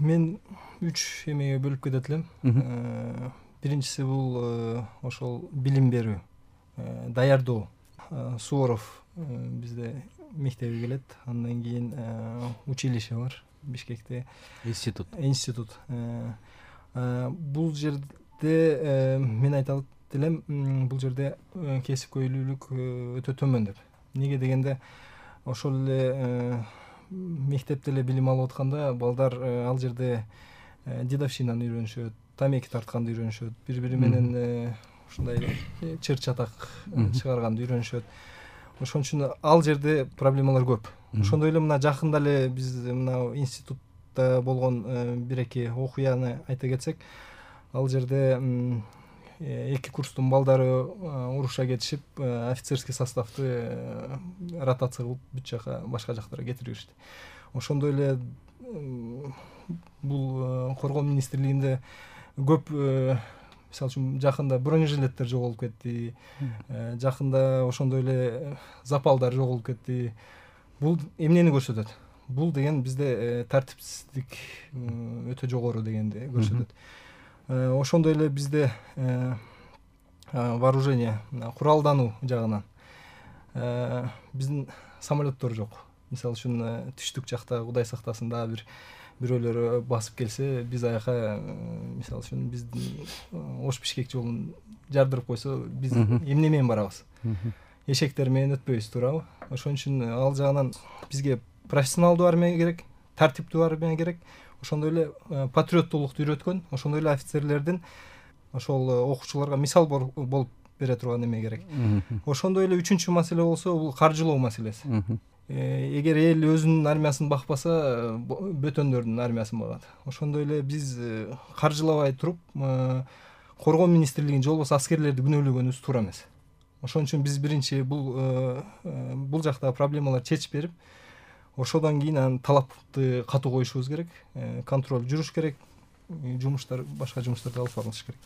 Мен 3 эмеге бөлүп кетет элем. Биринчиси бул ошол билим берүү, даярдоо. Суворов бизде мектеби келет, андан кийин училище бар Бишкекте. Институт. Бул жерде мен айта элем, бул жерде кесипкөйлүүлүк өтө төмөн деп. Неге дегенде ошол эле мектепте эле билим алып атканда балдар ал жерде дедовщинаны үйрөнүшөт, тамеки тартканды үйрөнүшөт, бири менен ушундай чыр чатак чыгарганды үйрөнүшөт. Ошон үчүн ал жерде проблемалар көп. Ошондой эле мына жакында эле биз мына институтта болгон бир-эки окуяны айта кетсек, ал жерде 2 курстун балдары уруша кетишип, офицерский составты ротация кылып бүт жака, башка жактарга кетирип жиберишти. Ошондой эле бул коргоо министрлигинде көп, мисалы үчүн жакында бронежилеттер жоголуп кетти, жакында ошондой эле запалдар жоголуп кетти. Бул эмнени көрсөтөт? Бул деген бизде тартипсиздик өтө жогору дегенди көрсөтөт. Ошондой эле бизде вооружение, куралдануу жагынан биздин самолеттор жок. Мисалы үчүн түштүк жакта Кудай сактасын дагы бирөөлөр басып келсе, биз аяка, мисалы үчүн биздин Ош-Бишкек жолун жардырып койсо, биз эмне менен барабыз? Эшектер менен өтпөйбүз, туурабы? Ошон үчүн ал жагынан бизге профессионалдуу армия керек, тартиптүү армия керек. Ошондой эле патриоттуулукту үйрөткөн, ошондой эле офицерлердин ошол окуучуларга мисал болуп бере турган эме керек. Ошондой эле үчүнчү маселе болсо, бул каржылоо маселеси. Эгер эл өзүнүн армиясын бакпаса, бөтөндөрдүн армиясын багат. Ошондой эле биз каржылабай туруп, коргоо министрлигин же болбосо аскерлерди күнөөлөгөнүбүз туура эмес. Ошон үчүн биз биринчи бул жактагы проблемаларды чечип берип, ошодон кийин анан талапты катуу коюшубуз керек, контроль жүрүш керек, жумуштар, башка жумуштарды алып барылыш керек.